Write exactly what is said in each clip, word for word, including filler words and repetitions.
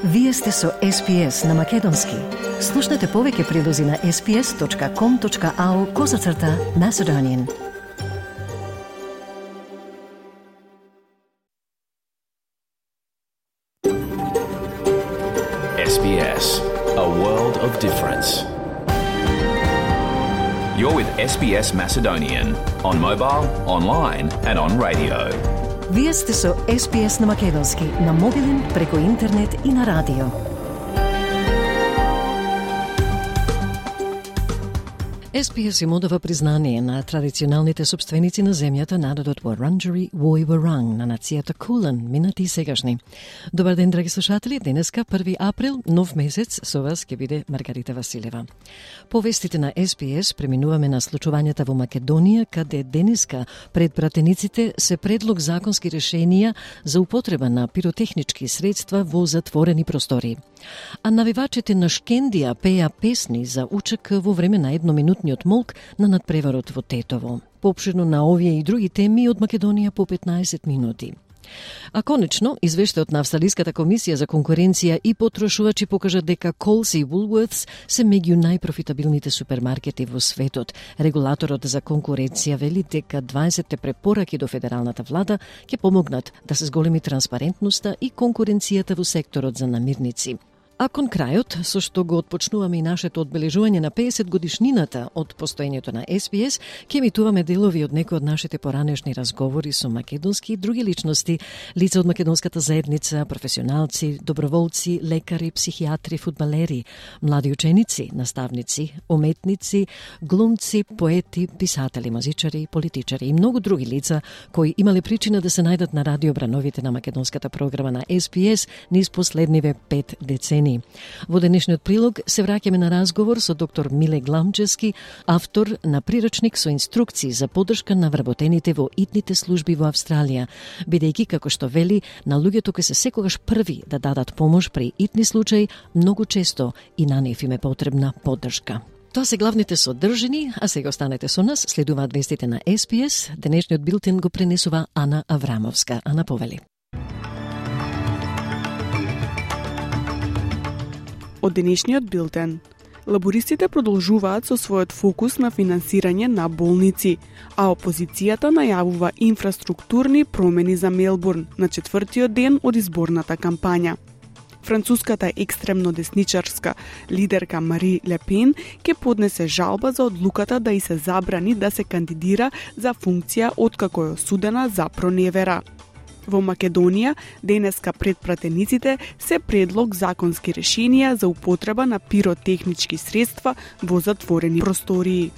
Вие сте со Ес Би Ес на Македонски. Слушнете повеќе прилози на ес би ес точка ком точка ау козацрта Macedonian. Ес Би Ес, a world of difference. You're with Ес Би Ес Macedonian on mobile, online and on radio. Вие сте со Ес Би Ес на Македонски, на мобилен, преку интернет и на радио. Ес Би Ес им одава признание на традиционалните собственици на земјата, народот Вуранџери Војворанг, на нацијата Кулен, минати и сегашни. Добар ден, драги слушатели, денеска први април, нов месец, со вас ќе биде Маргарита Василева. По вестите на Ес Би Ес преминуваме на случувањата во Македонија, каде денеска пред пратениците се предлог законски решенија за употреба на пиротехнички средства во затворени простори. А навивачите на Шкендија пеа песни за УЧК во време на едноминутниот молк на надпреварот во Тетово. Поопширно на овие и други теми од Македонија по петнаесет минути. А конечно, извештајот на Австралиската комисија за конкуренција и потрошувачи покажа дека Колс и Woolworths се меѓу најпрофитабилните супермаркети во светот. Регулаторот за конкуренција вели дека дваесетте препораки до федералната влада ќе помогнат да се зголеми транспарентноста и конкуренцијата во секторот за намирници. А кон крајот, со што го отпочнуваме и нашето одбележување на педесет годишнината од постоењето на Ес Би Ес, ќе емитуваме делови од некои од нашите поранешни разговори со македонски и други личности, лица од македонската заедница, професионалци, доброволци, лекари, психијатри, фудбалери, млади ученици, наставници, уметници, глумци, поети, писатели, музичари, политичари и многу други лица кои имале причина да се најдат на радиобрановите на македонската програма на Ес Би Ес низ последниве пет децени. Во денешниот прилог се враќаме на разговор со доктор Миле Гламчевски, автор на прирачник со инструкции за поддршка на вработените во итните служби во Австралија, бидејќи, како што вели, на луѓето кои се секогаш први да дадат помош при итни случаи, многу често и на нив им е потребна поддршка. Тоа се главните содржини, а сега останете со нас, следуваат вестите на Ес Би Ес. Денешниот билтен го пренесува Ана Аврамовска. Ана, повели. Од денешниот билтен. Лабористите продолжуваат со својот фокус на финансирање на болници, а опозицијата најавува инфраструктурни промени за Мелбурн на четвртиот ден од изборната кампања. Француската екстремно десничарска лидерка Мари Ле Пен ќе поднесе жалба за одлуката да и се забрани да се кандидира за функција откако е осудена за проневера. Во Македонија, денеска пред пратениците се предлог законски решенија за употреба на пиротехнички средства во затворени простории.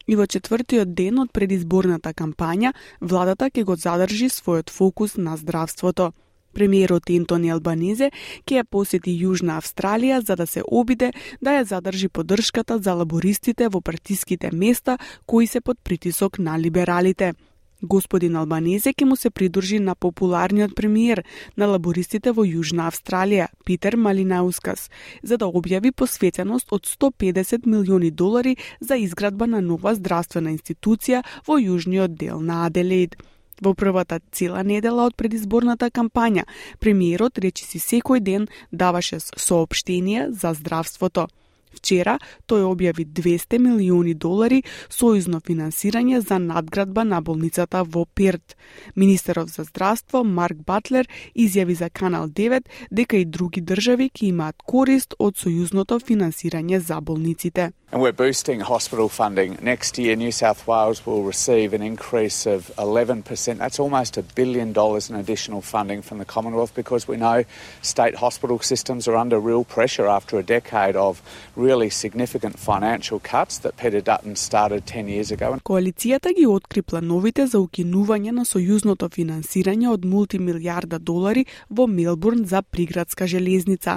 И во четвртиот ден од предизборната кампања, владата ќе го задржи својот фокус на здравството. Премиерот Ентони Албанезе ќе ја посети Јужна Австралија за да се обиде да ја задржи поддршката за лабористите во партиските места кои се под притисок на либералите. Господин Албанезе ќе му се придружи на популарниот премиер на лабористите во Јужна Австралија, Питер Малинаускас, за да објави посветеност од сто педесет милиони долари за изградба на нова здравствена институција во јужниот дел на Аделаид. Во првата цела недела од предизборната кампања, премиерот речиси секој ден даваше соопштенија за здравството. Вчера тој објави двесте милиони долари сојузно финансирање за надградба на болницата во Перт. Министерот за здравство Марк Батлер изјави за Канал девет дека и други држави ќе имаат корист од сојузното финансирање за болниците. And we're boosting hospital funding. Next year, New South Wales will receive an increase of eleven percent. That's almost a billion dollars in additional funding from the Commonwealth because we know state hospital systems are under real pressure after a decade of really significant financial cuts that Peter Dutton started ten years ago. Коалицијата ги откри плановите за укинување на сојузното финансирање од мултимилијарда долари во Мелбурн за приградска железница.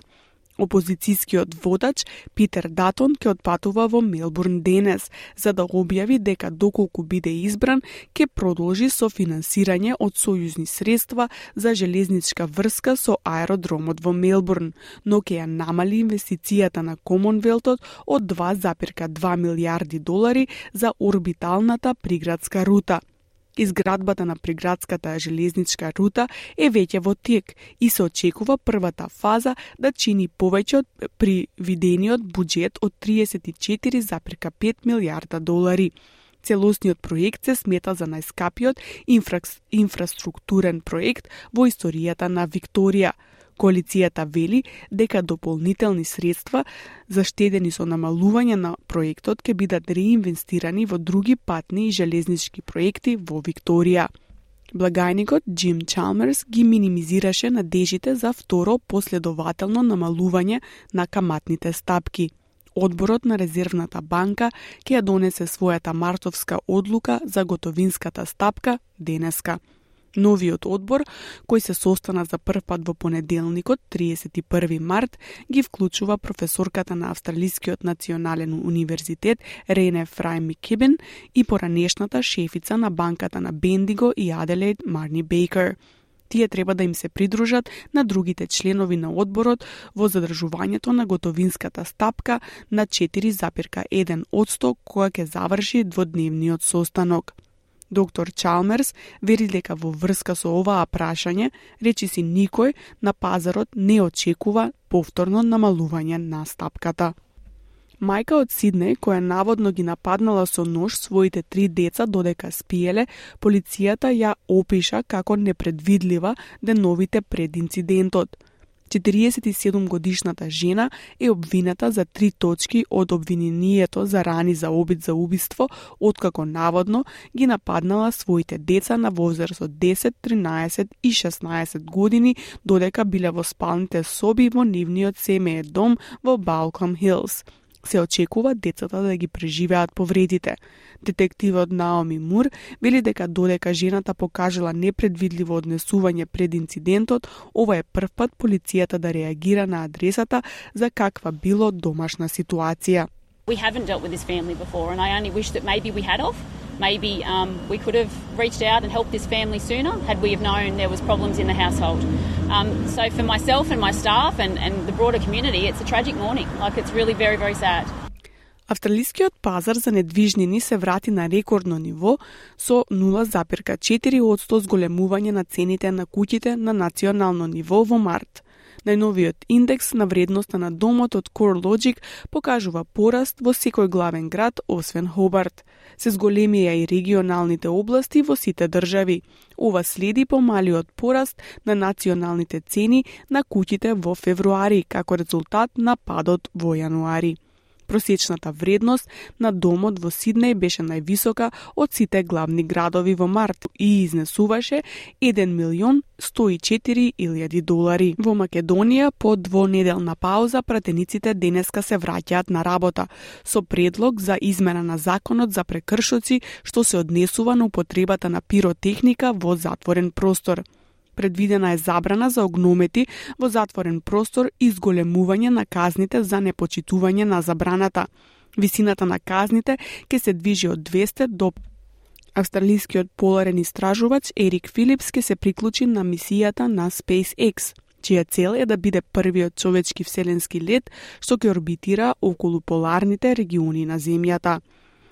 Опозицијскиот водач Питер Датон ќе отпатува во Мелбурн денес, за да објави дека доколку биде избран, ќе продолжи со финансирање од сојузни средства за железничка врска со аеродромот во Мелбурн, но ќе ја намали инвестицијата на Комонвелтот од два зарез и две милијарди долари за орбиталната приградска рута. Изградбата на приградската железничка рута е веќе во тек и се очекува првата фаза да чини повеќе од привидениот буџет од тридесет и четири запирка пет милијарда долари. Целосниот проект се смета за најскапиот инфра... инфраструктурен проект во историјата на Викторија. Коалицијата вели дека дополнителни средства заштедени со намалување на проектот ќе бидат реинвестирани во други патни и железнички проекти во Викторија. Благајникот Джим Чалмерс ги минимизираше надежите за второ последователно намалување на каматните стапки. Одборот на Резервната банка ќе ја донесе својата мартовска одлука за готовинската стапка денеска. Новиот одбор, кој се состана за прв пат во понеделникот, тридесет и први март, ги вклучува професорката на Австралискиот национален универзитет Рене Фрај Микибен и поранешната шефица на банката на Бендиго и Аделаид Марни Бейкер. Тие треба да им се придружат на другите членови на одборот во задржувањето на готовинската стапка на четири запирка еден одсто кога ќе заврши дводневниот состанок. Доктор Чалмерс вери дека во врска со оваа прашање, речиси никој на пазарот не очекува повторно намалување на стапката. Мајка од Сиднеј, која наводно ги нападнала со нож своите три деца додека спиеле, полицијата ја опиша како непредвидлива деновите пред инцидентот. четириесет и седум годишната жена е обвината за три точки од обвинението за рани за обид за убиство, откако наводно ги нападнала своите деца на возраст од десет, тринаесет и шеснаесет години, додека биле во спалните соби во нивниот семеен дом во Балком Хилс. Се очекува децата да ги преживеат повредите. Детективот Наоми Мур вели дека додека жената покажала непредвидливо однесување пред инцидентот, ова е прв пат полицијата да реагира на адресата за каква било домашна ситуација. We haven't dealt with this family before and I only wish that maybe we had of. Maybe um, we could have reached out and helped this family sooner had we have known there was problems in the household. Um, so for myself and my staff and, and the broader community, it's a tragic morning. Like, it's really very, very sad. Австралискиот пазар за недвижнини се врати на рекордно ниво со нула запирка четири одсто зголемување на цените на куќите на национално ниво во март. Најновиот индекс на вредноста на домот од CoreLogic покажува пораст во секој главен град, освен Хобарт. Се зголемија и регионалните области во сите држави. Ова следи помалиот пораст на националните цени на куќите во февруари, како резултат на падот во јануари. Просечната вредност на домот во Сиднеј беше највисока од сите главни градови во март и изнесуваше еден милион сто и четири илјади долари. Во Македонија, по двонеделна пауза, пратениците денеска се враќаат на работа со предлог за измена на законот за прекршоци што се однесува на употребата на пиротехника во затворен простор. Предвидена е забрана за огномети во затворен простор и зголемување на казните за непочитување на забраната. Висината на казните ќе се движи од двесте до... Австралискиот поларен истражувач Ерик Филипс ќе се приклучи на мисијата на SpaceX, чија цел е да биде првиот човечки вселенски лет што ќе орбитира околу поларните региони на Земјата.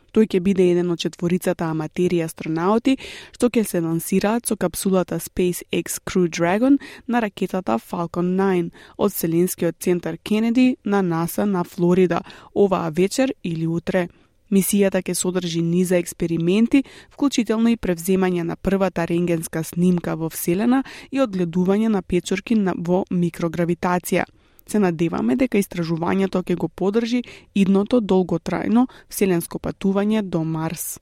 Тој ќе биде еден од четворицата аматери астронаути што ќе се лансираат со капсулата SpaceX Crew Dragon на ракетата Falcon nine од Вселенскиот центар Кенеди на НАСА на Флорида оваа вечер или утре. Мисијата ќе содржи низа експерименти, вклучително и превземање на првата рентгенска снимка во Вселена и одгледување на печорки во микрогравитација. Се надеваме дека истражувањето ќе го подржи идното долготрајно вселенско патување до Марс.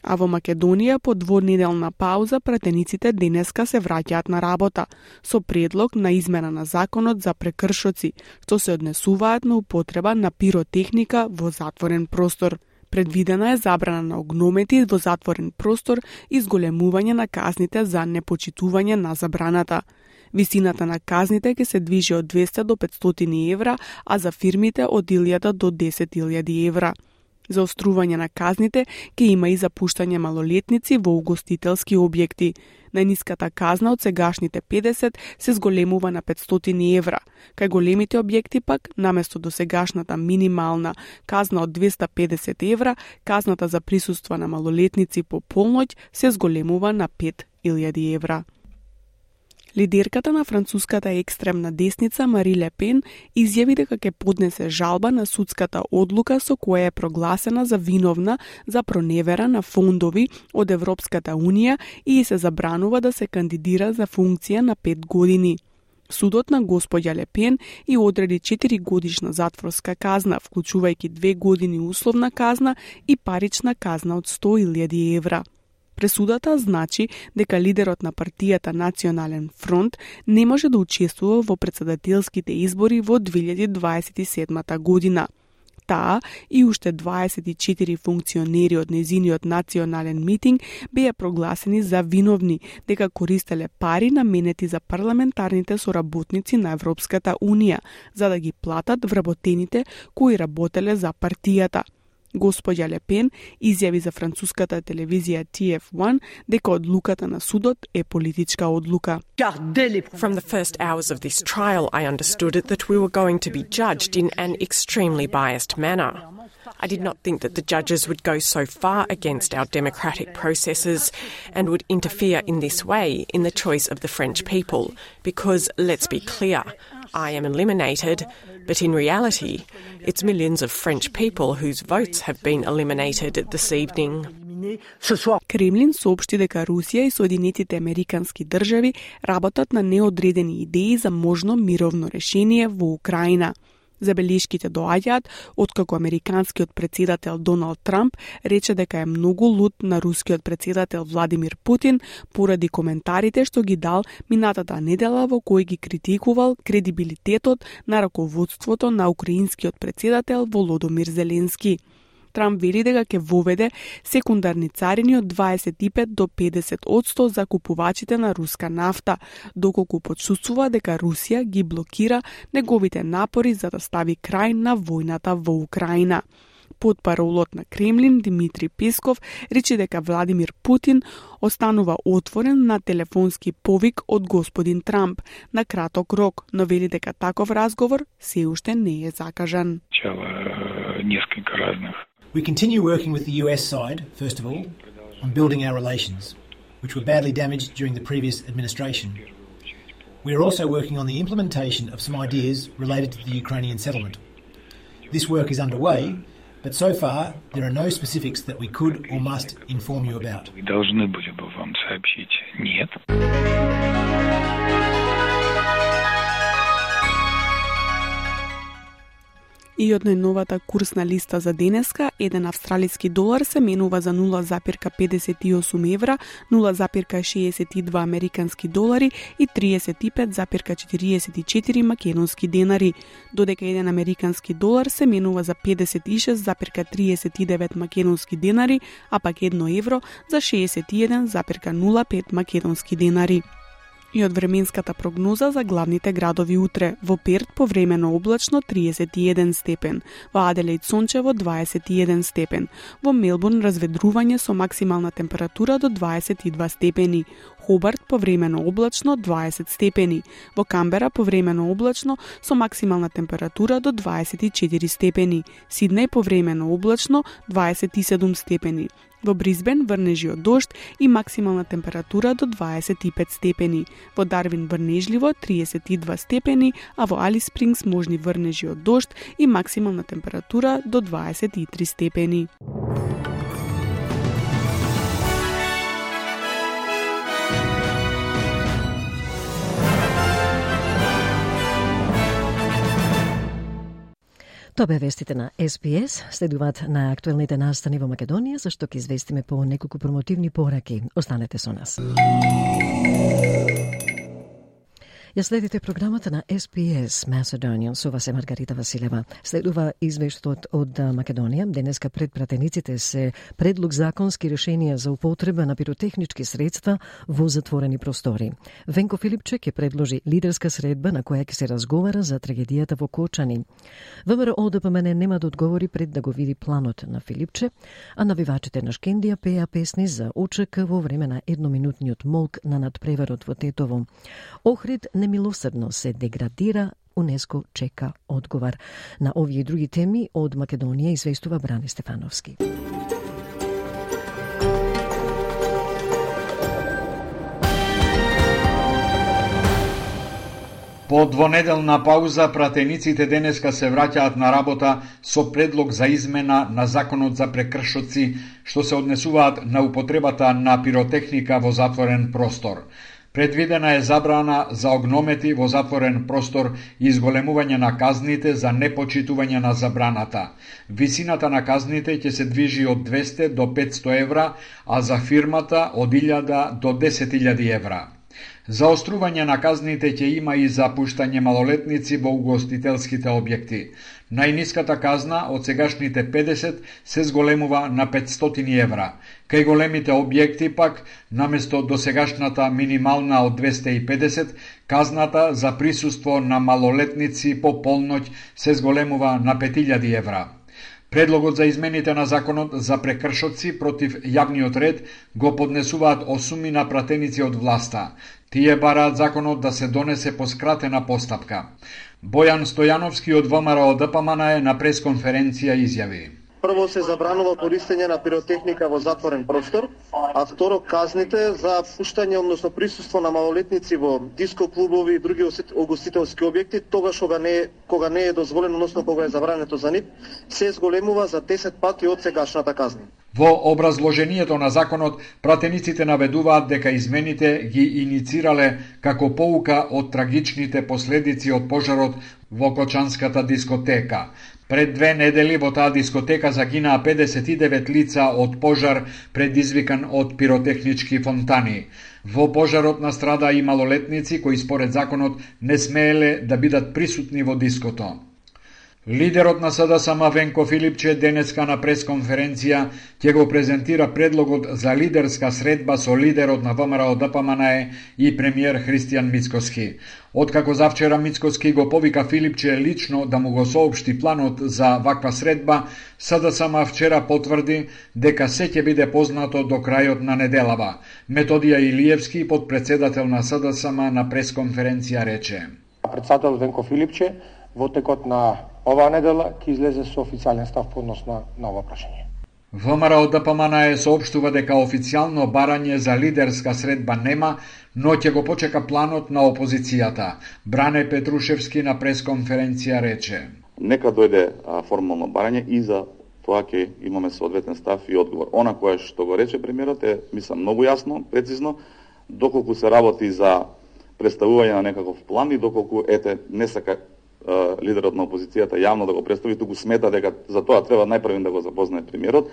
А во Македонија, по двонеделна пауза, пратениците денеска се враќаат на работа со предлог на измена на законот за прекршоци, што се однесуваат на употреба на пиротехника во затворен простор. Предвидена е забрана на огномети во затворен простор и зголемување на казните за непочитување на забраната. Висината на казните ќе се движи од двесте до петстотини евра, а за фирмите од илјада до десет илјади евра. Заострување на казните ќе има и запуштање малолетници во угостителски објекти. Најниската казна од сегашните педесет се зголемува на петстотини евра. Кај големите објекти пак, наместо до сегашната минимална казна од двеста педесет евра, казната за присуство на малолетници по полноќ се зголемува на пет илјади евра. Лидерката на француската екстремна десница Мари Ле Пен изјави дека ќе поднесе жалба на судската одлука со која е прогласена за виновна за проневера на фондови од Европската Унија и се забранува да се кандидира за функција на пет години. Судот на господја Ле Пен и одреди четири годишна затворска казна, вклучувајќи две години условна казна и парична казна од сто илјади евра. Пресудата значи дека лидерот на партијата Национален фронт не може да учествува во претседателските избори во две илјади дваесет и седма година. Таа и уште дваесет и четири функционери од незиниот национален митинг беа прогласени за виновни дека користеле пари наменети за парламентарните соработници на Европската Унија за да ги платат вработените кои работеле за партијата. Господја Ле Пен изјави за француската телевизија T F one дека одлуката на судот е политичка одлука. From the first hours of this trial, I understood that we were going to be judged in an extremely biased manner. I did not think that the judges would go so far against our democratic processes and would interfere in this way in the choice of the French people, because, let's be clear, I am eliminated, but in reality, it's millions of French people whose votes have been eliminated this evening. Кремлин соопшти дека Русија и Соединетите Американски држави работат на неодредени идеи за можно мировно решение во Украина. Забелешките доаѓаат откако американскиот претседател Доналд Трамп рече дека е многу лут на рускиот претседател Владимир Путин поради коментарите што ги дал минатата недела во кои ги критикувал кредибилитетот на раководството на украинскиот претседател Володомир Зеленски. Трамп вели дека ќе воведе секундарни царини од дваесет и пет до педесет одсто за купувачите на руска нафта, доколку почувствува дека Русија ги блокира неговите напори за да стави крај на војната во Украина. Потпаролот на Кремлин Димитри Песков рече дека Владимир Путин останува отворен на телефонски повик од господин Трамп на краток рок, но вели дека таков разговор се уште не е закажан. Несколько разных. We continue working with the U S side, first of all, on building our relations, which were badly damaged during the previous administration. We are also working on the implementation of some ideas related to the Ukrainian settlement. This work is underway, but so far there are no specifics that we could or must inform you about. Мы должны были бы вам сообщить нет. И од најновата курсна листа за денеска, еден австралиски долар се менува за нула запирка педесет и осум евра, нула запирка шеесет и два американски долари и триесет и пет запирка четириесет и четири македонски денари, додека еден американски долар се менува за педесет и шест запирка триесет и девет македонски денари, а пак едно евро за шеесет и еден запирка нула пет македонски денари. И од временската прогноза за главните градови утре: во Перт повремено облачно триесет и еден степен, во Аделаид сончево дваесет и еден степен, во Мелбурн разведрување со максимална температура до дваесет и два степени, Хобарт повремено облачно дваесет степени, во Камбера повремено облачно со максимална температура до дваесет и четири степени, Сиднеј повремено облачно дваесет и седум степени, во Брисбен врнежи од дожд и максимална температура до дваесет и пет степени, во Дарвин врнежливо триесет и два степени, а во Алис Спрингс можни врнежи од дожд и максимална температура до дваесет и три степени. Тоа бе вестите на С Б С. Следуваат на актуелните настани во Македонија, за што ќе известиме по неколку промотивни пораки. Останете со нас. Ја следите програмата на Ес Би Ес Macedonian, со вас е Маргарита Василева. Следува извештот од Македонија. Денеска пред пратениците се предлог законски решенија за употреба на пиротехнички средства во затворени простори. Венко Филипче ќе предложи лидерска средба на која ќе се разговара за трагедијата во Кочани. ВМРО Д П М Н нема да одговори пред да го види планот на Филипче, а навивачите на Шкендија пеа песни за О Ч К во време на едноминутниот молк на надпреварот во Тетово. Охрид немилосрдно се деградира, УНЕСКО чека одговор. На овие и други теми од Македонија известува Бране Стефановски. По двонеделна пауза, пратениците денеска се враќаат на работа со предлог за измена на законот за прекршоци, што се однесуваат на употребата на пиротехника во затворен простор. Предвидена е забрана за огномети во затворен простор и изголемување на казните за непочитување на забраната. Висината на казните ќе се движи од двесте до петсто евра, а за фирмата од илјада до десет илјади евра. Заострување на казните ќе има и за пуштање малолетници во угостителските објекти. Најниската казна од сегашните педесет се зголемува на петстотини евра. Кај големите објекти пак, наместо досегашната минимална од двесте и педесет, казната за присуство на малолетници по полноќ се зголемува на пет илјади евра. Предлогот за измените на законот за прекршоци против јавниот ред го поднесуваат осумина пратеници од власта. Тие бараат законот да се донесе по скратена постапка. Бојан Стојановски од ВМРО Д П М Н на пресконференција изјави: Прво се забранува користење на пиротехника во затворен простор, а второ казните за пуштање, односно присуство на малолетници во диско клубови и други угостителски објекти, тогаш кога не е, кога не е дозволено, односно кога е забрането за нив, се зголемува за десет пати од сегашната казна. Во образложението на законот, пратениците наведуваат дека измените ги иницирале како поука од трагичните последици од пожарот во Кочанската дискотека. Пред две недели во таа дискотека загинаа педесет и девет лица од пожар предизвикан од пиротехнички фонтани. Во пожарот настрада и малолетници кои според законот не смееле да бидат присутни во диското. Лидерот на С Д С М Венко Филипче денеска на пресконференција ќе го презентира предлогот за лидерска средба со лидерот на ВМРО Д П М Н и премиер Христијан Мицкоски. Откако завчера Мицкоски го повика Филипче лично да му го соопшти планот за ваква средба, С Д С М вчера потврди дека се ќе биде познато до крајот на неделава. Методија Илиевски, подпредседател на С Д С М, на пресконференција рече: Председател Венко Филипче во текот на оваа недела ќе излезе со официјален став по однос на, на ова прашање. ВМРО Д П М Н соопштува дека официјално барање за лидерска средба нема, но ќе го почека планот на опозицијата. Бране Петрушевски на пресконференција рече: Нека дојде а, формално барање и за тоа ќе имаме соодветен став и одговор. Она кое што го рече премиерот е, мислам, многу јасно, прецизно, доколку се работи за представување на некаков план и доколку ете не сака лидерот на опозицијата јавно да го представи, туку смета дека за тоа треба најпрвен да го запознае премиерот,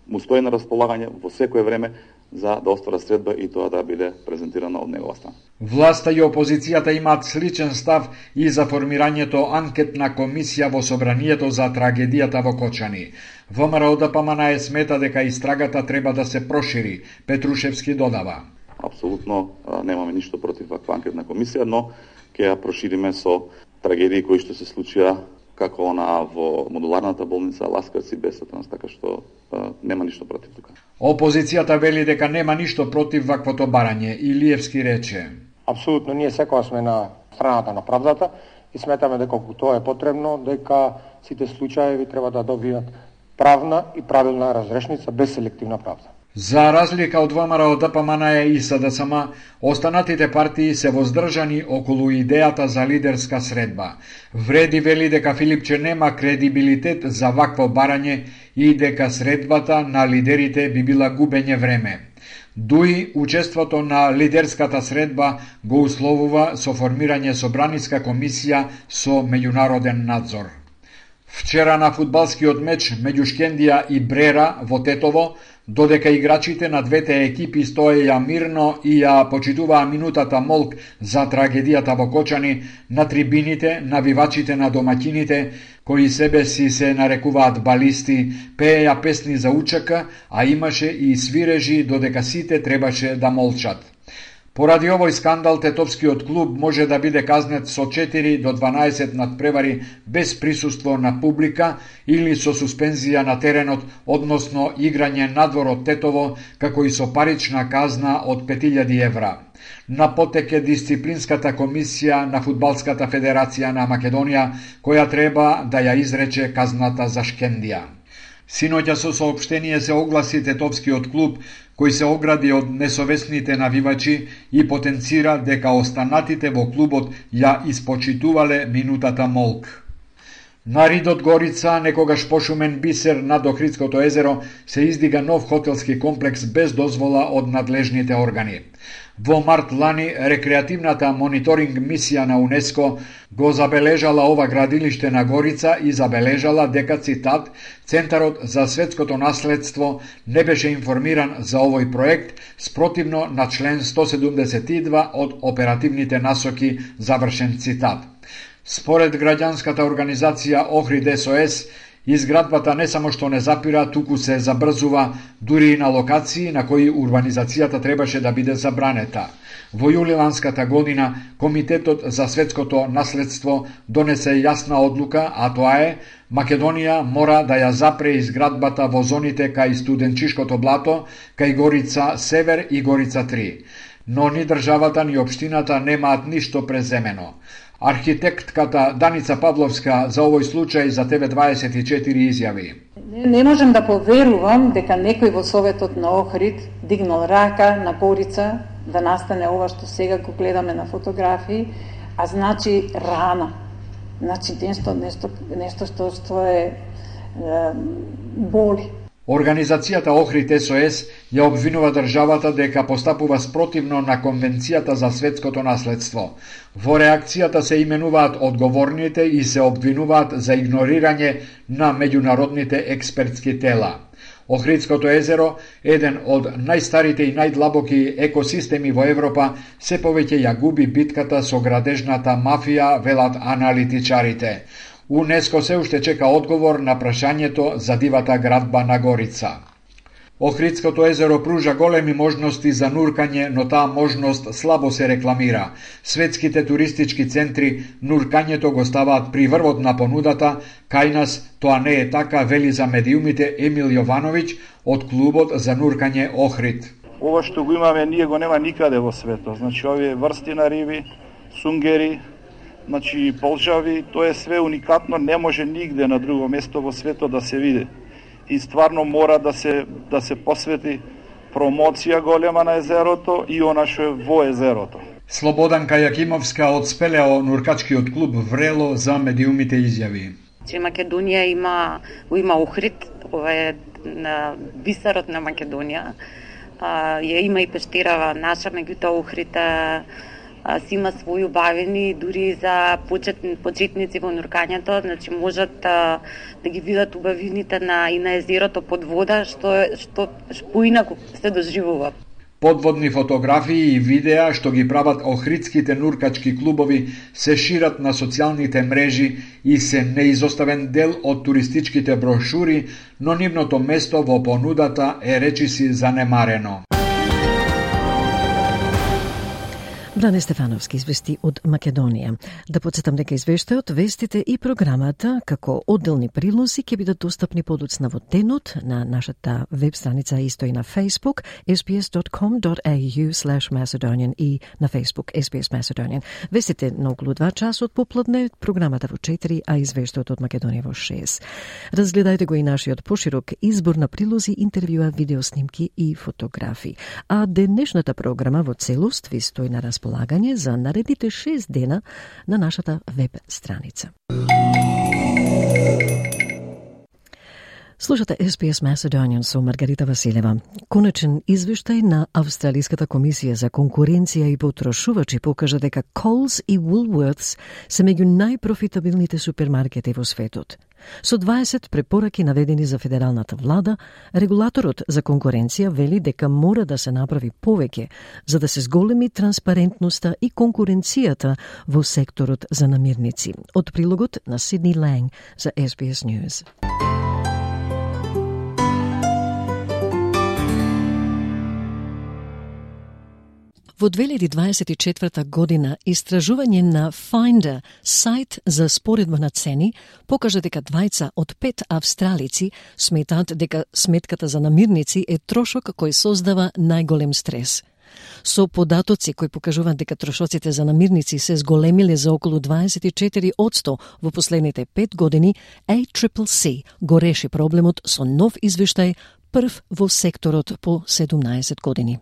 му стои на располагање во секое време за да оствара средба и тоа да биде презентирано од негова страна. Власта и опозицијата имаат сличен став и за формирањето анкетна комисија во собранието за трагедијата во Кочани. ВМРО Д П М Н смета дека истрагата треба да се прошири, Петрушевски додава: Апсолутно немаме ништо против ваква анкетна комисија, но ќе ја прошириме со трагедии кои што се случија како она во модуларната болница Ласкарци Бесатранс, така што а, нема ништо против тука. Опозицијата вели дека нема ништо против ваквото барање. Илиевски рече: Апсолутно, ние секогаш сме на страната на правдата и сметаме дека кога тоа е потребно, дека сите случаи треба да добијат правна и правилна разрешница без селективна правда. За разлика од ВМРО Д П М Н и С Д С М, останатите партии се воздржани околу идејата за лидерска средба. Вреди вели дека Филипче нема кредибилитет за вакво барање и дека средбата на лидерите би била губење време. Дуи учеството на лидерската средба го условува со формирање собраниска комисија со меѓународен надзор. Вчера на фудбалскиот меч меѓу Шкендија и Брера во Тетово, додека играчите на двете екипи стоеја мирно и ја почитуваа минутата молк за трагедијата во Кочани, на трибините навивачите на домаќините, кои себе си се нарекуваат балисти, пееја песни за УЧК, а имаше и свирежи додека сите требаше да молчат. Поради овој скандал, тетовскиот клуб може да биде казнет со четири до дванаесет надпревари без присуство на публика или со суспензија на теренот, односно играње надвор од Тетово, како и со парична казна од пет илјади евра. На потек е дисциплинската комисија на Фудбалската федерација на Македонија, која треба да ја изрече казната за Шкендија. Синоќа со соопштение се огласи тетовскиот клуб, кој се огради од несовесните навивачи и потенцира дека останатите во клубот ја испочитувале минутата молк. На Ридот Горица, некогаш пошумен бисер над Охридското езеро, се издига нов хотелски комплекс без дозвола од надлежните органи. Во март лани, рекреативната мониторинг мисија на УНЕСКО го забележала ова градилиште на Горица и забележала дека, цитат, Центарот за светското наследство не беше информиран за овој проект, спротивно на член сто седумдесет и два од оперативните насоки, завршен цитат. Според граѓанската организација Охрид Ес О Ес, изградбата не само што не запира, туку се забрзува дури и на локации на кои урбанизацијата требаше да биде забранета. Во јулиланската година Комитетот за светското наследство донесе јасна одлука, а тоа е Македонија мора да ја запре изградбата во зоните кај Студенчишкото блато, кај Горица Север и Горица три. Но ни државата ни општината немаат ништо преземено. Архитектката Даница Павловска за овој случај за Т В дваесет и четири изјави. Не, не можем да поверувам дека некој во Советот на Охрид дигнал рака на Горица да настане ова што сега го гледаме на фотографии, а значи рана. Значи нешто, нешто, нешто што, што е, е боли. Организацијата Охрид Ес О Ес ја обвинува државата дека постапува спротивно на Конвенцијата за светското наследство. Во реакцијата се именуваат одговорните и се обвинуваат за игнорирање на меѓународните експертски тела. Охридското езеро, еден од најстарите и најдлабоки екосистеми во Европа, се повеќе ја губи битката со градежната мафија, велат аналитичарите. УНЕСКО се уште чека одговор на прашањето за дивата градба на Горица. Охридското езеро пружа големи можности за нуркање, но таа можност слабо се рекламира. Светските туристички центри нуркањето го ставаат при врвот на понудата, кај нас тоа не е така, вели за медиумите Емил Јовановиќ од клубот за нуркање Охрид. Ова што го имаме ние го нема никаде во светот. Значи овие врсти на риби, сунгери, значи полжави, тоа е све уникатно, не може нигде на друго место во светот да се види. И стварно мора да се да се посвети промоција голема на езерото и она што е во езерото. Слободанка Јакимовска од Спелео нуркачкиот клуб Врело за медиумите изјави. Че Македонија има го има Охрид, ова е на бисерот на Македонија. А, ја има и пештерава наша, меѓутоа Охрид си има своји убавени, дури за почетни, почетници во нуркањето, значи можат а, да ги видат убавините на и на езерото под вода, што што поинаку се доживува. Подводни фотографии и видеа што ги прават охридските нуркачки клубови се шират на социјалните мрежи и се неизоставен дел од туристичките брошури, но нивното место во понудата е речиси занемарено. Бране Стефановски извести од Македонија. Да подсетам дека извештајот, вестите и програмата како одделни прилози ќе бидат достапни подоцна во денот на нашата веб страница, исто и на Facebook ес би ес dot com dot a u slash macedonian и на Facebook ес би ес Macedonian. Вестите на околу два часот попладне, програмата во четири, а извештајот од Македонија во шест. Разгледајте го и нашиот поширок избор на прилози, интервјуа, видеоснимки и фотографии. А денешната програма во целост ви стои на располагање за наредните шест дена на нашата веб страница. Слушате Ес Би Ес Macedonian со Маргарита Василева. Конечен извештај на Австралиската комисија за конкуренција и потрошувачи покажа дека Coles и Woolworths се меѓу најпрофитабилните супермаркети во светот. Со дваесет препораки наведени за федералната влада, регулаторот за конкуренција вели дека мора да се направи повеќе за да се зголеми транспарентноста и конкуренцијата во секторот за намирници. Од прилогот на Сидни Ланг за Ес Би Ес News. Во две илјади дваесет и четврта година истражување на Finder, сајт за споредба на цени, покажа дека двајца од пет австралици сметаат дека сметката за намирници е трошок кој создава најголем стрес. Со податоци кои покажуваат дека трошоците за намирници се зголемиле за околу дваесет и четири одсто во последните пет години, А Си Си Си го реши проблемот со нов извештај, прв во секторот по седумнаесет години.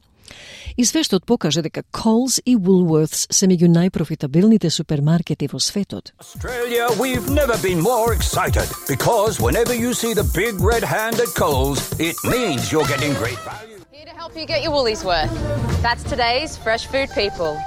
Извештајот покажа дека Coles и Woolworths се меѓу најпрофитабилните супермаркети во светот. Australia, we've never been more excited because whenever you see the big red hand at Coles, it means you're getting great value. Here to help you get your woolies worth. That's today's Fresh Food People.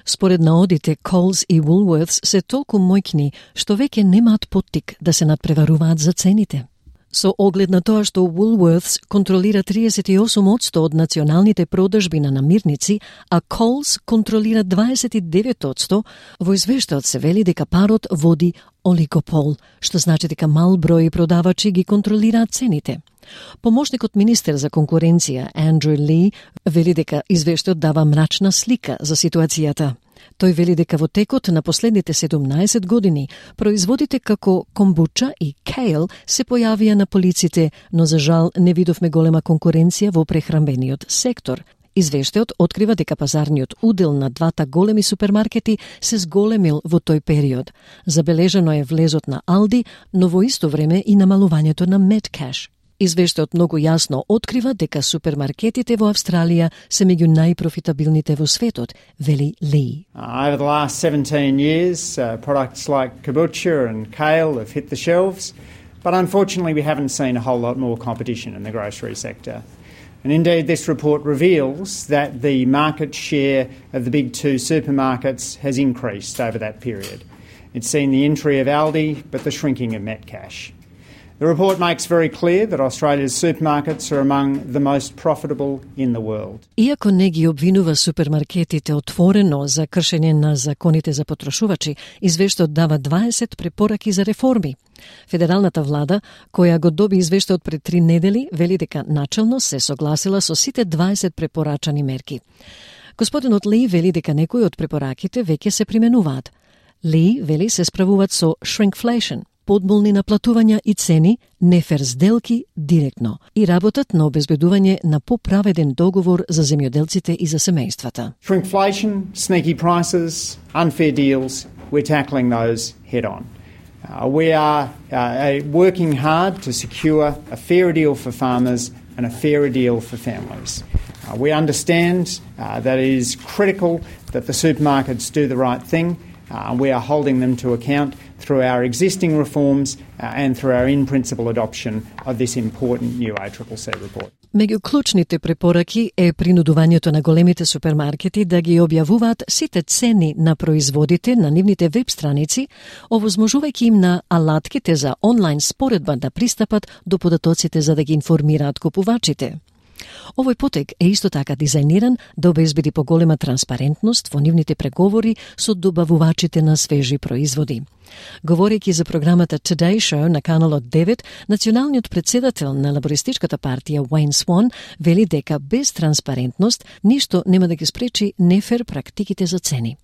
Според наодите, Coles и Woolworths се толку мојкни што веќе немаат поттик да се надпреваруваат за цените. Со оглед на тоа што Woolworths контролира триесет и осум одсто од националните продажби на намирници, а Coles контролира дваесет и девет одсто, во извештајот се вели дека парот води олигопол, што значи дека мал број продавачи ги контролираат цените. Помошникот министер за конкуренција Андрю Ли вели дека извештајот дава мрачна слика за ситуацијата. Тој вели дека во текот на последните седумнаесет години производите како комбуча и кейл се појавија на полиците, но за жал не видовме голема конкуренција во прехранбениот сектор. Извештајот открива дека пазарниот удел на двата големи супермаркети се зголемил во тој период. Забележано е влезот на Алди, но во исто време и намалувањето на Metcash. Извештајот многу јасно открива дека супермаркетите во Австралија се меѓу најпрофитабилните во светот, вели Ли. Uh, over the last seventeen years, uh, products like kombucha and kale have hit the shelves, but unfortunately we haven't seen a whole lot more competition in the grocery sector. And indeed this report reveals that the market share of the big two supermarkets has increased over that period. It's seen the entry of Aldi, but the shrinking of Metcash. The report makes very clear that Australia's supermarkets are among the most profitable in the world. Иако не ги обвинува супермаркетите отворено за кршење на законите за потрошувачи, извештајот дава дваесет препораки за реформи. Федералната влада, која го доби извештајот пред три недели, вели дека начелно се согласила со сите дваесет препорачани мерки. Господинот Ли вели дека некои од препораките веќе се применуваат. Ли вели се справуваат со shrinkflation, подмолни наплатувања и цени, нефер сделки директно и работат на обезбедување на поправеден договор за земјоделците и за семејствата. Shrinkflation, sneaky prices, unfair deals, we're tackling those head on. Uh, we are uh, working hard to secure a fairer deal for farmers and a fairer deal for families. Uh, we understand uh, that it is critical that the supermarkets do the right thing. Uh, we are holding them to account through our existing reforms uh, and through our in-principle adoption of this important new A C C C report. Меѓу клучните препораки е принудувањето на големите супермаркети да ги објавуваат сите цени на производите на нивните веб страници, овозможувајќи им на алатките за онлайн споредба да пристапат до податоците за да ги информираат купувачите. Овој потек е исто така дизајниран да обезбеди поголема транспарентност во нивните преговори со добавувачите на свежи производи. Говорејќи за програмата Today Show на каналот девет, националниот председател на лабористичката партија Уейн Свон вели дека без транспарентност ништо нема да ги спречи нефер практиките за цени.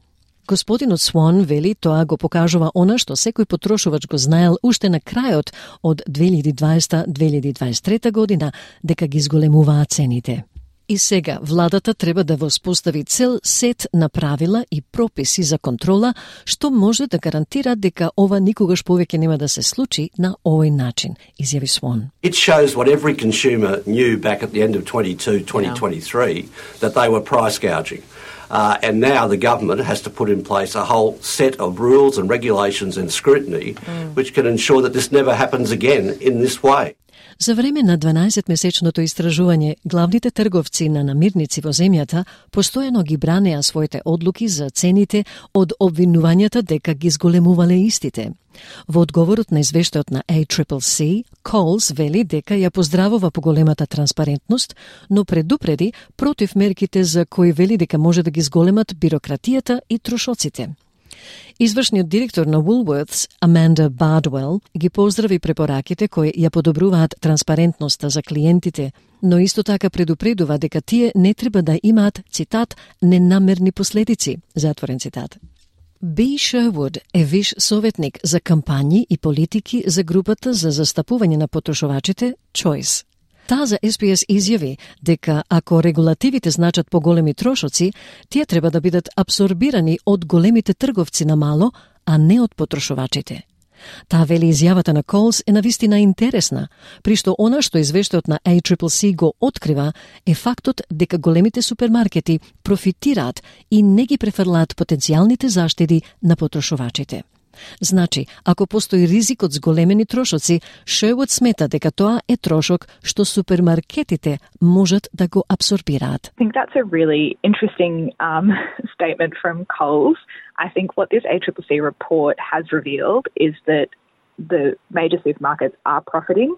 Господинот Свон вели тоа го покажува она што секој потрошувач го знаел уште на крајот од две илјади и дваесета - две илјади и дваесет и трета година, дека ги зголемуваат цените. И сега владата треба да воспостави цел сет на правила и прописи за контрола, што може да гарантира дека ова никогаш повеќе нема да се случи на овој начин, изјави Swan. It shows what every consumer knew back at the end of twenty-two, twenty twenty-three, yeah. that they were price gouging. Uh, and now the government has to put in place a whole set of rules and regulations and scrutiny mm. which can ensure that this never happens again in this way. За време на дванаесетмесечното истражување, главните трговци на намирници во земјата постојано ги бранеа своите одлуки за цените од обвинувањата дека ги зголемувале истите. Во одговорот на извештајот на A C C C, Coles вели дека ја поздравува поголемата транспарентност, но предупреди против мерките за кои вели дека може да ги зголемат бирократијата и трошоците. Извршниот директор на Woolworths, Amanda Bardwell, ги поздрави препораките кои ја подобруваат транспарентноста за клиентите, но исто така предупредува дека тие не треба да имаат, цитат, ненамерни последици, затворен цитат. Би Шервуд е виш советник за кампањи и политики за групата за застапување на потрошувачите Choice. Таа за Ес Би Ес изјави дека ако регулативите значат поголеми трошоци, тие треба да бидат абсорбирани од големите трговци на мало, а не од потрошувачите. Таа вели изјавата на Coles е навистина интересна, при што она што извештајот на A C C C го открива е фактот дека големите супермаркети профитираат и не ги префрлаат потенцијалните заштеди на потрошувачите. Значи, ако постои ризик од зголемени трошоци, Шервуд смета дека тоа е трошок што супермаркетите можат да го абсорбираат. I think that's a really interesting um, statement from Coles. I think what this A C C C report has revealed is that the major supermarkets are profiting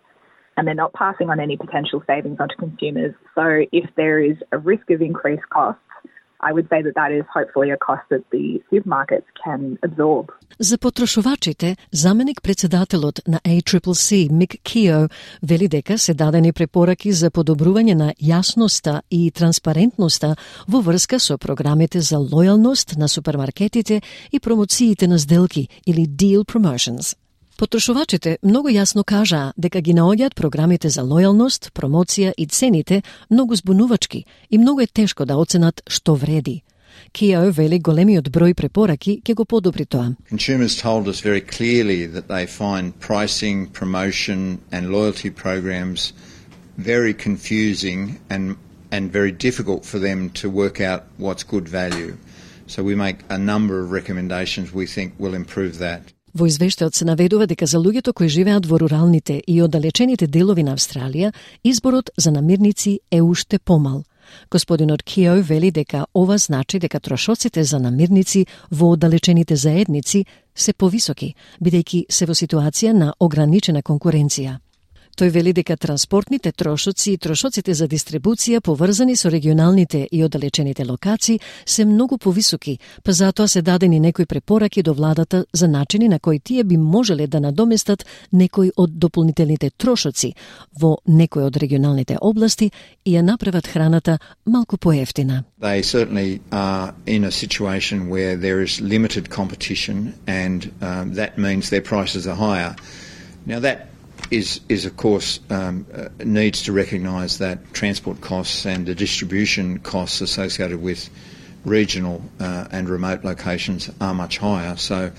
and they're not passing on any potential savings onto consumers. So if there is a risk of increased costs, I would say that that is hopefully a cost that the supermarkets can absorb. За потрошувачите, заменик председателот на A C C C, Мик Кио, вели дека се дадени препораки за подобрување на јасноста и транспарентноста во врска со програмите за лојалност на супермаркетите и промоциите на сделки или deal promotions. Потрошувачите многу јасно кажаа дека ги наоѓаат програмите за лојалност, промоција и цените многу збунувачки и многу е тешко да оценат што вреди. Кио вели големиот број препораки ќе го подобри тоа. Consumers told us very clearly that they find pricing, promotion and loyalty programs very confusing and and very difficult for them to work out what's good value. So we make a number of recommendations we think will improve that. Во извештајот се наведува дека за луѓето кои живеат во руралните и оддалечените делови на Австралија, изборот за намирници е уште помал. Господинот Кио вели дека ова значи дека трошоците за намирници во оддалечените заедници се повисоки, бидејќи се во ситуација на ограничена конкуренција. Тој вели дека транспортните трошоци и трошоците за дистрибуција поврзани со регионалните и оддалечените локации се многу повисоки, па затоа се дадени некои препораки до владата за начини на кои тие би можеле да надоместат некои од дополнителните трошоци во некои од регионалните области и ја направат храната малку поевтина. They certainly are in a situation where there is limited competition and um, that means their prices are higher. Now that is, is of course, um, uh, needs to recognise that transport costs and the distribution costs associated with regional uh, and remote locations are much higher. So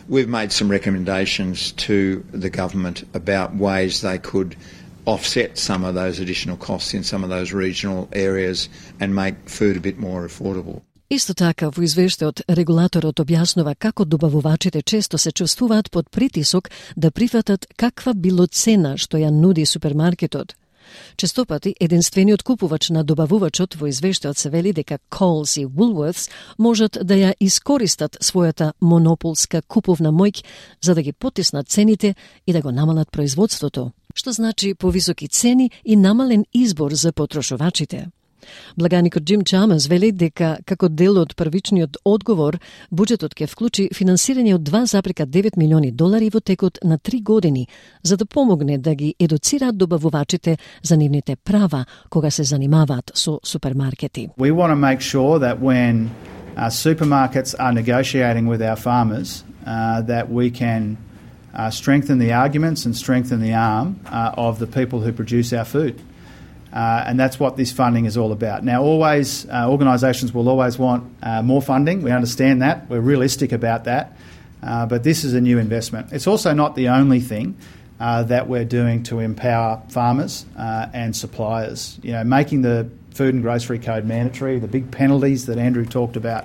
we've made some recommendations to the government about ways they could offset some of those additional costs in some of those regional areas and make food a bit more affordable. Исто така, во извештајот, регулаторот објаснува како добавувачите често се чувствуваат под притисок да прифатат каква било цена што ја нуди супермаркетот. Честопати, единствениот купувач на добавувачот во извештајот се вели дека Coles и Woolworths можат да ја искористат својата монополска куповна моќ за да ги потиснат цените и да го намалат производството, што значи повисоки цени и намален избор за потрошувачите. Благаникот Джим Чамас вели дека како дел од првичниот одговор, буџетот ќе вклучи финансирање од два зарез девет милиони долари во текот на три години, за да помогне да ги едуцираат добавувачите за нивните права кога се занимаваат со супермаркети. We want to make sure that when uh, supermarkets are negotiating with our farmers, uh, that we can uh, strengthen the arguments and strengthen the arm uh, of the people who produce our food. Uh, and that's what this funding is all about. Now, always, uh, organisations will always want uh, more funding. We understand that. We're realistic about that. Uh, but this is a new investment. It's also not the only thing uh, that we're doing to empower farmers uh, and suppliers. You know, making the Food and Grocery Code mandatory, the big penalties that Andrew talked about,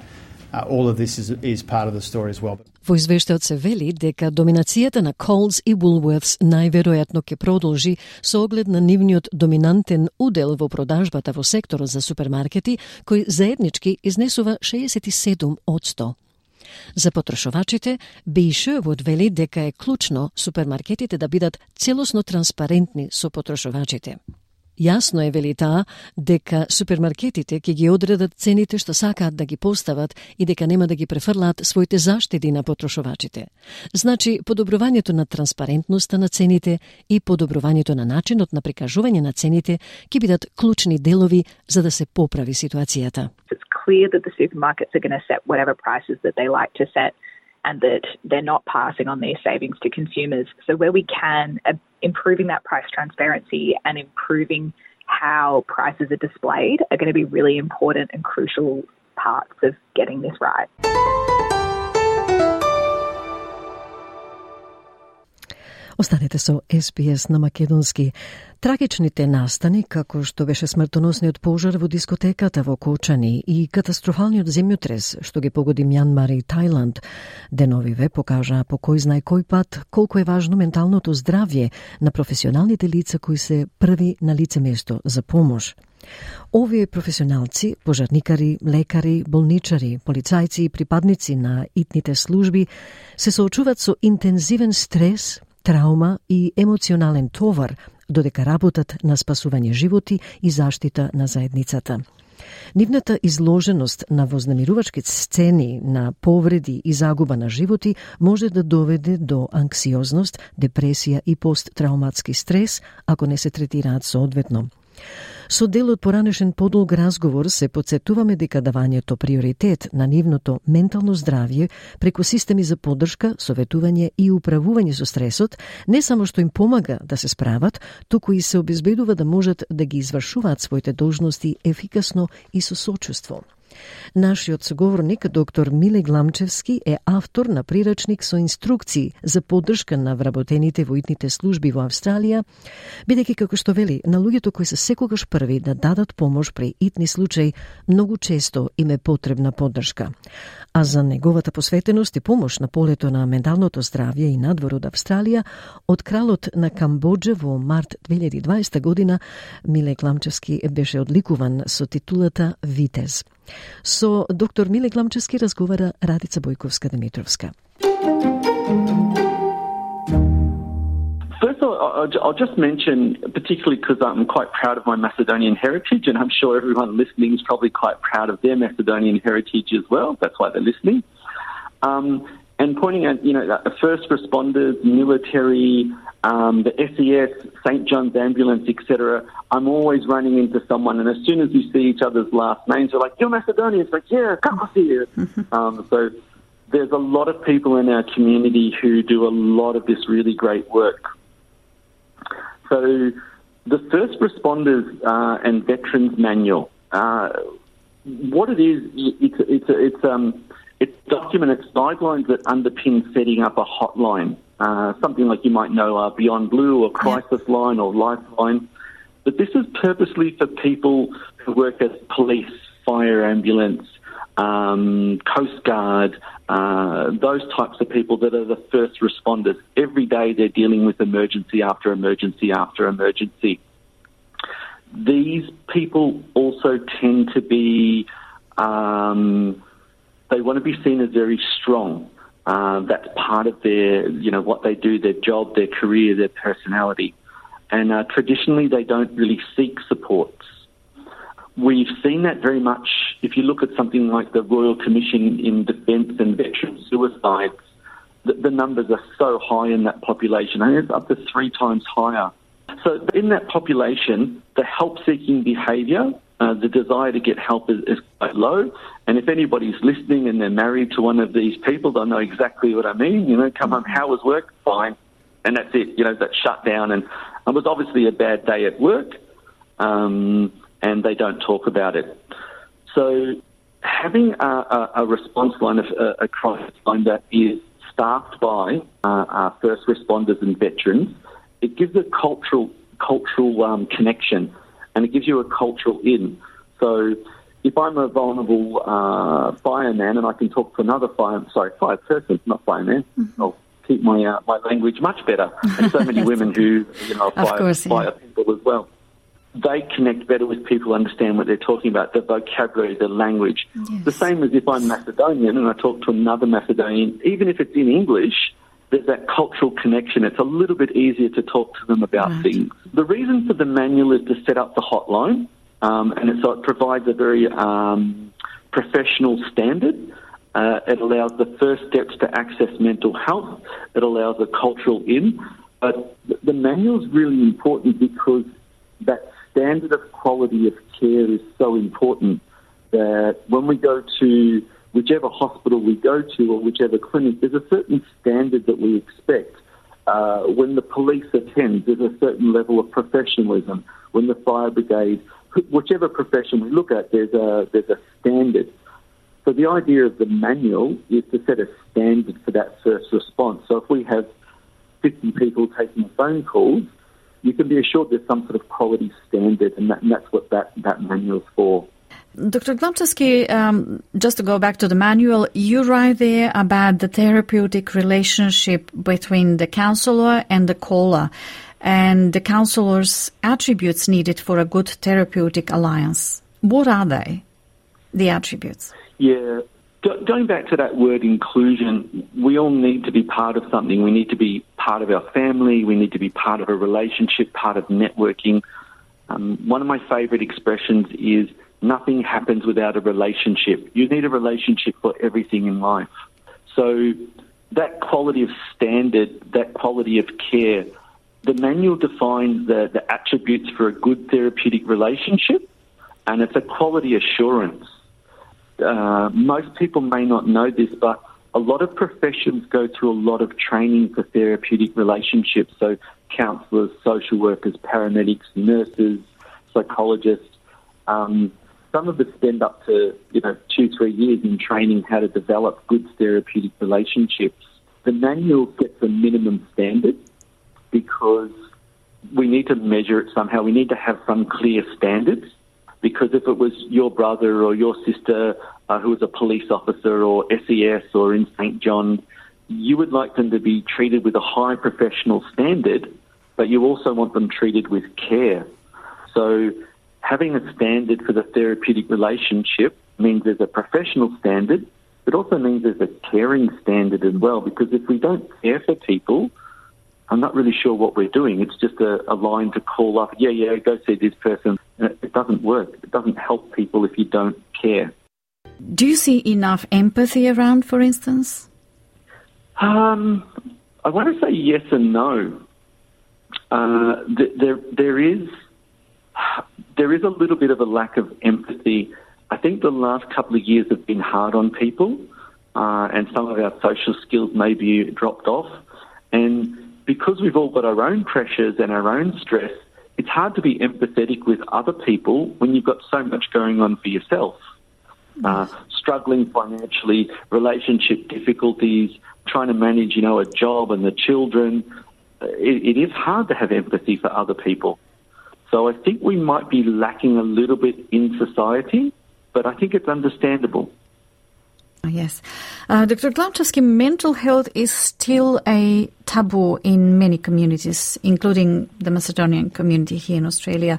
uh, all of this is, is part of the story as well. Во извештајот се вели дека доминацијата на Coles и Woolworths најверојатно ќе продолжи со оглед на нивниот доминантен удел во продажбата во секторот за супермаркети, кој заеднички изнесува шеесет и седум одсто. За потрошувачите, Бейшевот вели дека е клучно супермаркетите да бидат целосно транспарентни со потрошувачите. Јасно е, вели таа, дека супермаркетите ќе ги одредат цените што сакаат да ги постават и дека нема да ги префрлаат своите заштеди на потрошувачите. Значи, подобрувањето на транспарентноста на цените и подобрувањето на начинот на прикажување на цените ќе бидат клучни делови за да се поправи ситуацијата. It's clear that the supermarkets are going to set whatever prices that they like to set and that they're not passing on their savings to consumers. So where we can, uh, improving that price transparency and improving how prices are displayed are going to be really important and crucial parts of getting this right. Останете со Ес Би Ес на македонски. Трагичните настани, како што беше смртоносниот пожар во дискотеката во Кочани и катастрофалниот земјотрес што ги погоди Мјанмар и Тајланд, деновиве покажаа по кој знае кој пат колку е важно менталното здравје на професионалните лица кои се први на лице место за помош. Овие професионалци, пожарникари, лекари, болничари, полицајци и припадници на итните служби се соочуваат со интензивен стрес, траума и емоционален товар додека работат на спасување животи и заштита на заедницата. Нивната изложеност на вознемирувачки сцени, на повреди и загуба на животи може да доведе до анксиозност, депресија и посттрауматски стрес ако не се третираат соодветно. Со дел од поранешен подолг разговор се потсетуваме дека давањето приоритет на нивното ментално здравје преку системи за поддршка, советување и управување со стресот не само што им помага да се справат, туку и се обезбедува да можат да ги извршуваат своите должности ефикасно и со сочувство. Нашиот соговорник, доктор Миле Гламчевски, е автор на прирачник со инструкции за поддршка на вработените во итните служби во Австралија, бидејќи, како што вели, на луѓето кои се секогаш први да дадат помош при итни случаи, многу често им е потребна поддршка. А за неговата посветеност и помош на полето на менталното здравје и надвор од Австралија, од кралот на Камбоџа во март две илјади и дваесета година, Миле Гламчевски беше одликуван со титулата Витез. Со доктор Миле Гламчевски разговара Радица Бојковска-Димитровска. First of all, I'll just mention, particularly because I'm quite proud of my Macedonian heritage, and I'm sure everyone listening is probably quite proud of their Macedonian heritage as well. That's why they're listening. Um, and pointing out, you know, the first responders, military, um, the S E S, Saint John's Ambulance, et cetera. I'm always running into someone, and as soon as we see each other's last names, they're like, "You're Macedonian." It's like, "Yeah, Kakosir." um, so there's a lot of people in our community who do a lot of this really great work. So the First Responders uh, and Veterans Manual, uh, what it is, it's it's it's um it's document, it's guidelines that underpin setting up a hotline, uh, something like you might know uh, Beyond Blue or Crisis yeah. Line or Lifeline. But this is purposely for people who work as police, fire ambulance, um, Coast Guard, uh, those types of people that are the first responders. Every day they're dealing with emergency after emergency after emergency. These people also tend to be, um, they want to be seen as very strong. Uh, that's part of their, you know, what they do, their job, their career, their personality. And uh, traditionally, they don't really seek supports. We've seen that very much if you look at something like the Royal Commission in Defence and Veteran Suicides. The, the numbers are so high in that population. I think it's up to three times higher. So in that population, the help-seeking behaviour, uh, the desire to get help is, is quite low. And if anybody's listening and they're married to one of these people, they'll know exactly what I mean. You know, come home, how was work? Fine. And that's it. You know, that's shut down. And it was obviously a bad day at work. um, and they don't talk about it. So having a, a, a response line, of, a, a crisis line that is staffed by uh, our first responders and veterans, it gives a cultural cultural um, connection, and it gives you a cultural in. So if I'm a vulnerable uh, fireman and I can talk to another fire, sorry, fire person, not fireman, mm-hmm. I'll keep my uh, my language much better. And so many women who, you know, are fire, course, yeah. fire people as well. They connect better with people, understand what they're talking about, the vocabulary, the language. Yes. The same as if I'm Macedonian and I talk to another Macedonian, even if it's in English, there's that cultural connection. It's a little bit easier to talk to them about right. things. The reason for the manual is to set up the hotline, um, and it, so it provides a very um, professional standard. Uh, it allows the first steps to access mental health. It allows a cultural in. But the manual is really important because that standard of quality of care is so important that when we go to whichever hospital we go to or whichever clinic, there's a certain standard that we expect. Uh, when the police attend, there's a certain level of professionalism. When the fire brigade, whichever profession we look at, there's a there's a standard. So the idea of the manual is to set a standard for that first response. So if we have fifty people taking phone calls, you can be assured there's some sort of quality standard, and, that, and that's what that, that manual's for. Doctor Glomczewski, um, just to go back to the manual, you write there about the therapeutic relationship between the counsellor and the caller and the counselor's attributes needed for a good therapeutic alliance. What are they, the attributes? Yeah, Go, going back to that word inclusion, we all need to be part of something. We need to be part of our family. We need to be part of a relationship, part of networking. Um, one of my favourite expressions is, nothing happens without a relationship. You need a relationship for everything in life. So that quality of standard, that quality of care, the manual defines the, the attributes for a good therapeutic relationship, and it's a quality assurance. Uh, most people may not know this, but a lot of professions go through a lot of training for therapeutic relationships. So counsellors, social workers, paramedics, nurses, psychologists, um, some of us spend up to, you know, two, three years in training how to develop good therapeutic relationships. The manual sets a minimum standard because we need to measure it somehow. We need to have some clear standards, because if it was your brother or your sister uh, who was a police officer or S E S or in Saint John, you would like them to be treated with a high professional standard, but you also want them treated with care. So having a standard for the therapeutic relationship means there's a professional standard, but also means there's a caring standard as well, because if we don't care for people, I'm not really sure what we're doing. It's just a, a line to call up, yeah, yeah, go see this person. It doesn't work. It doesn't help people if you don't care. Do you see enough empathy around, for instance? Um, I want to say yes and no. Uh, th- there, there is... There is a little bit of a lack of empathy. I think the last couple of years have been hard on people, uh, and some of our social skills may be dropped off. And because we've all got our own pressures and our own stress, it's hard to be empathetic with other people when you've got so much going on for yourself. Uh, struggling financially, relationship difficulties, trying to manage, you know, a job and the children. It, it is hard to have empathy for other people. So I think we might be lacking a little bit in society, but I think it's understandable. Yes. Uh, Doctor Glomczewski, mental health is still a taboo in many communities, including the Macedonian community here in Australia.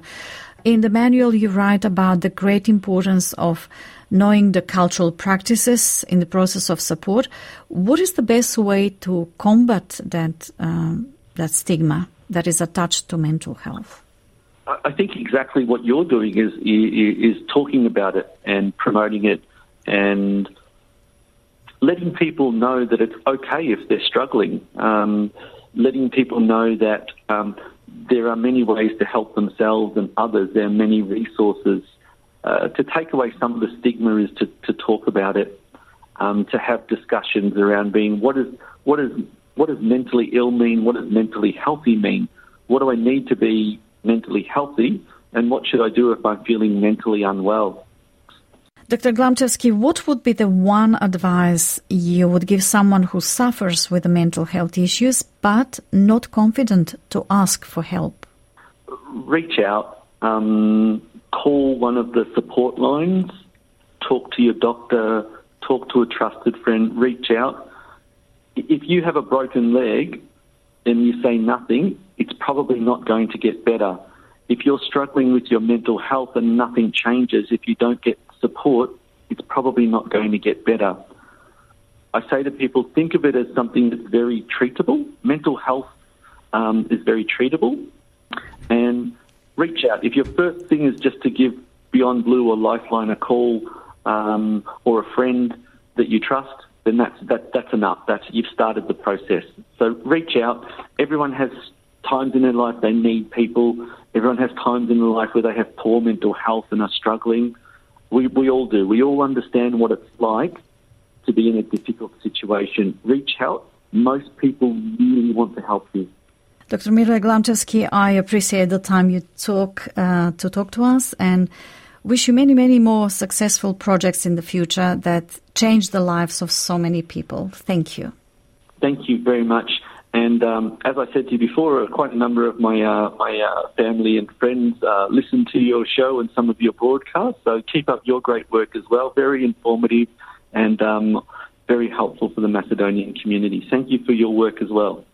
In the manual, you write about the great importance of knowing the cultural practices in the process of support. What is the best way to combat that, um, that stigma that is attached to mental health? I think exactly what you're doing is, is is talking about it and promoting it and letting people know that it's okay if they're struggling, um, letting people know that um, there are many ways to help themselves and others. There are many resources. Uh, to take away some of the stigma is to, to talk about it, um, to have discussions around being what is what is what does mentally ill mean? What does mentally healthy mean? What do I need to be mentally healthy? And what should I do if I'm feeling mentally unwell? Doctor Glamczewski, what would be the one advice you would give someone who suffers with mental health issues but not confident to ask for help? Reach out, um, call one of the support lines, talk to your doctor, talk to a trusted friend, reach out. If you have a broken leg and you say nothing, it's probably not going to get better. If you're struggling with your mental health and nothing changes, if you don't get support, it's probably not going to get better. I say to people, think of it as something that's very treatable. Mental health um, is very treatable. And reach out. If your first thing is just to give Beyond Blue or Lifeline a call um, or a friend that you trust, then that's, that, that's enough. That's, you've started the process. So reach out. Everyone has times in their life they need people. Everyone has times in their life where they have poor mental health and are struggling. We, we all do. We all understand what it's like to be in a difficult situation. Reach out. Most people really want to help you. Doctor Mile Glamczewski, I appreciate the time you took uh, to talk to us and wish you many, many more successful projects in the future that change the lives of so many people. Thank you. Thank you very much. And um, as I said to you before, quite a number of my uh, my uh, family and friends uh, listen to your show and some of your broadcasts. So keep up your great work as well. Very informative and um, very helpful for the Macedonian community. Thank you for your work as well.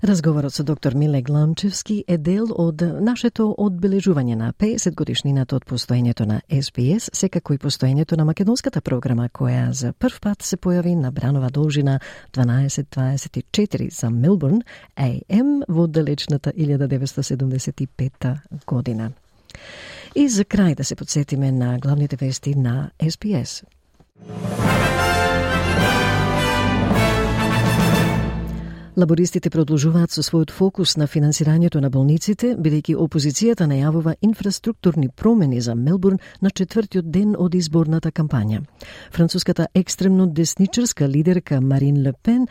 Разговорот со доктор Миле Гламчевски е дел од нашето одбележување на педесет годишнината од постоењето на Ес Би Ес, секако и постоењето на македонската програма, која за прв пат се појави на бранова должина дванаесет дваесет и четири за Мелбурн, Ей Ем, во далечната илјада деветстотини седумдесет и пета година. И за крај да се подсетиме на главните вести на Ес Би Ес. Лабористите продолжуваат со својот фокус на финансирањето на болниците, бидејќи опозицијата најавува инфраструктурни промени за Мелбурн на четвртиот ден од изборната кампања. Француската екстремно десничарска лидерка Марин Ле Пен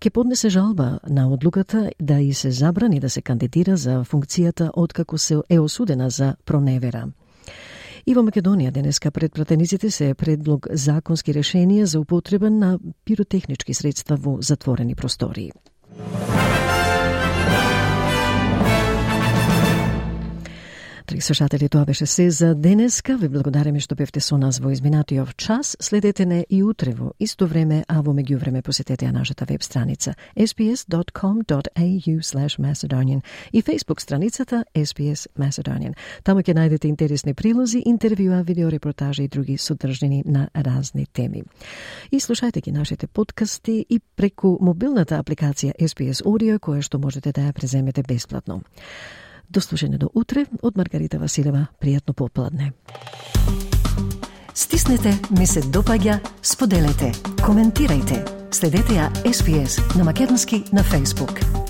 ќе поднесе жалба на одлуката да и се забрани да се кандидира за функцијата откако се е осудена за проневера. И во Македонија денеска пред пратениците се е предлог законски решенија за употреба на пиротехнички средства во затворени простории. Драги слушатели, тоа беше се за денеска. Ви благодариме што бевте со нас во изминатиот час. Следете не и утре во исто време, а во меѓувреме посетете ја нашата веб страница ес би ес dot com dot a u slash macedonian и Facebook страницата Ес Би Ес Macedonian. Таму ќе најдете интересни прилози, интервјуа, видеорепортажи и други содржини на разни теми. И слушајте ги нашите подкасти и преку мобилната апликација Ес Би Ес Audio, која што можете да ја преземете бесплатно. До слушање до утре од Маргарита Василева. Пријатно попладне. Стиснете, ми се допаѓа, споделете, коментирајте. Следете ја Ес Би Ес на македонски на Facebook.